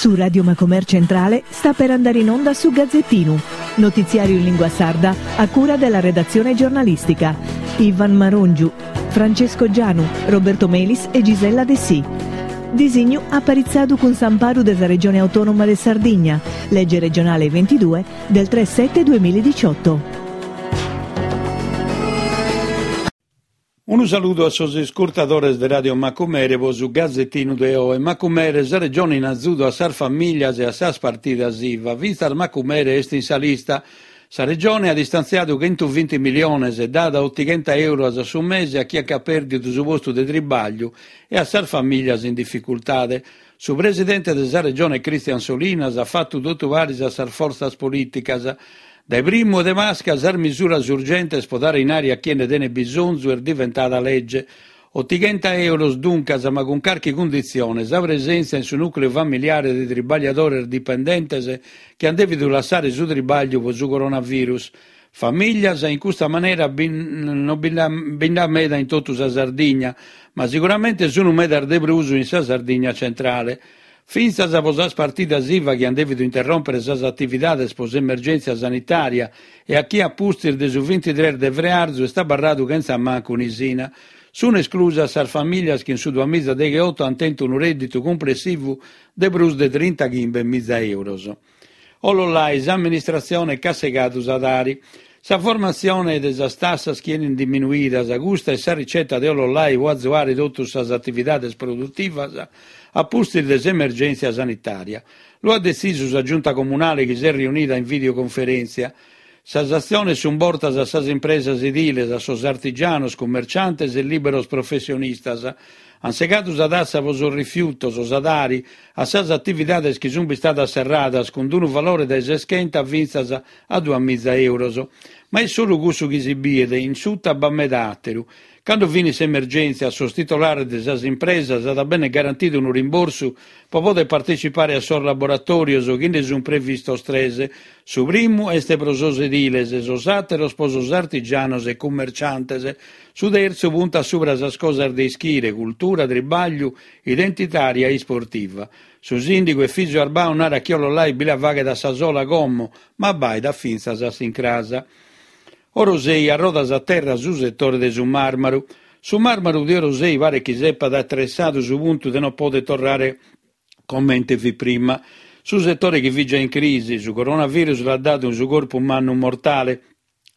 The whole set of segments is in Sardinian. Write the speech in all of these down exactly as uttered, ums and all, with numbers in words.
Su Radio Macomer Centrale sta per andare in onda su Gazzettinu, notiziario in lingua sarda a cura della redazione giornalistica. Ivan Marongiu, Francesco Gianu, Roberto Melis e Gisella Dessì. Disignu aparitzadu cun s'amparu de sa Regione Autonoma de Sardigna, legge regionale ventidue del tre sette duemiladiciotto. Unu saludu a sos iscurtadores de Radio Macumere po su Gazettinu de oe. Macumere, sa regione in azudu a sas familias e a sas partidas I V A. Fintzas Macumere est in sa lista. Sa regione at istantziadu chentuvinti miliones e dat otighenta euros a su mese a chie at pèrdidu su postu de tribagliu e a sas familias in dificultade. Su presidente de sa regione Christian Solinas at fatu totu paris a sas fortzas polìticas. Dae primu de Pasca sas misuras urgentes pro dare inari a chie nde tenet bisonzu est diventada legge. Otighenta euros duncas, ma cun carchi cunditzione, sa presèntzia in su nùcleu familiare de tribagliadores dipendentes chi ant dèvidu lassare su tribagliu pro su coronavirus. Familias in custa manera non bi nd'at meda in totu sa Sardigna, ma sicuramente sunt medas de prus in sa Sardigna centrale. Fintzas pro sas partidas I V A chi ant dèvidu interròmpere sas atividades pro s'emergèntzia sanitària e a chie a pustis de su bintitrès de frearzu est abarradu chentza mancu un'isina. Sunt esclusas sas familias chi in su duamìgiadegheoto ant tentu unu rèdditu cumplessivu de prus de trintachimbe miza euros. Ollolai, s'amministratzione ch'at segadu sa Tari. Sa formatzione de sas tassas chi 'enint diminuidas, custa est sa riceta de Ollolai pro azuare totus sas atividades produtivas a pustis de s'emergèntzia sanitària. Lu at detzisu sa Giunta Comunale chi s'est riunida in videoconferèntzia. Sas atziones sunt bortas a sas impresas ediles, a sos artigianos, cummerciantes e lìberos professionistas. Ant segadu sa tassa pro sos rifiutos, sa Tari, a sas atividades chi sunt bistadas serradas cun unu valore dae seschenta fintzas a duamiza euros. Ma est solu cussu chi si biet, in suta b'at meda àteru. Cando finit s'emergèntzia, a sos titolares de sas impresas at a bènnere garantidu unu rimborsu pro poder partecipare a sos laboratòrios, chi nde sunt previstos tres. Su primu est pro sos ediles, sos àteros pro sos artigianos e cummerciantes. Su tertzu puntat subra sas cosas de ischire, cultura, tribagliu, identitària e isportiva. Su sìndigu Efisio Arbau narat chi Ollolai bi la faghet a sa sola como, ma abbaidat fintzas a s'incras. Orosei a rodas a terra su setore de su màrmaru. Su màrmaru de Orosei paret chi s'epat atressadu su puntu de non poder torrare comente fit prima. Su setore chi fit già in crisi, su coronavirus l'at dadu su corpu mannu mortale,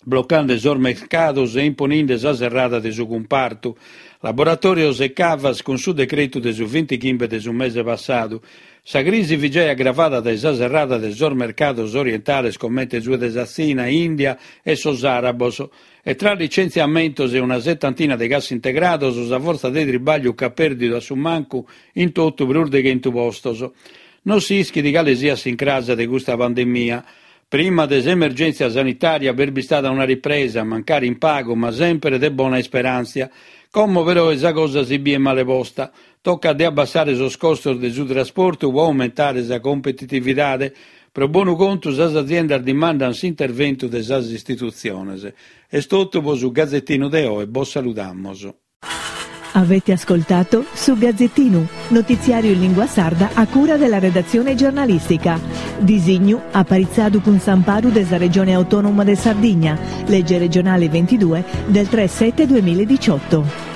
blocande sos mercados e imponinde sa serrada de su cumpartu. Laboratòrios e cavas cun su decretu de su bintichimbe de su mese passadu. Sa crisi fit già agravada dae sa serrada de sos mercados orientales comente su de sa Tzina, Ìndia e sos àrabos. E tra licentziamentos e una setantina de cassintegrados, sa fortza de tribagliu ch'at pèrdidu a su mancu in totu prus de chentu postos. Non si ischit cale siat s'incrasa de custa pandemia. Prima de s'emergèntzia sanitària b'est bistada una ripresa, mancari in pagu, ma semper de bona isperàntzia. Como però sa cosa si biet male posta. Tocat de abbassare sos costos de su trasportu pro aumentare sa competitividade. Pro bonu contu sas aziendas dimandant s'interventu de sas istitutziones. Est totu pro su Gazzettinu de oe, bos saludamos. Avete ascoltato Su Gazzettinu, notiziario in lingua sarda a cura della redazione giornalistica. Disignu aparitzadu cun s'amparu de sa Regione Autonoma de Sardigna, legge regionale ventidue del tre sette duemiladiciotto.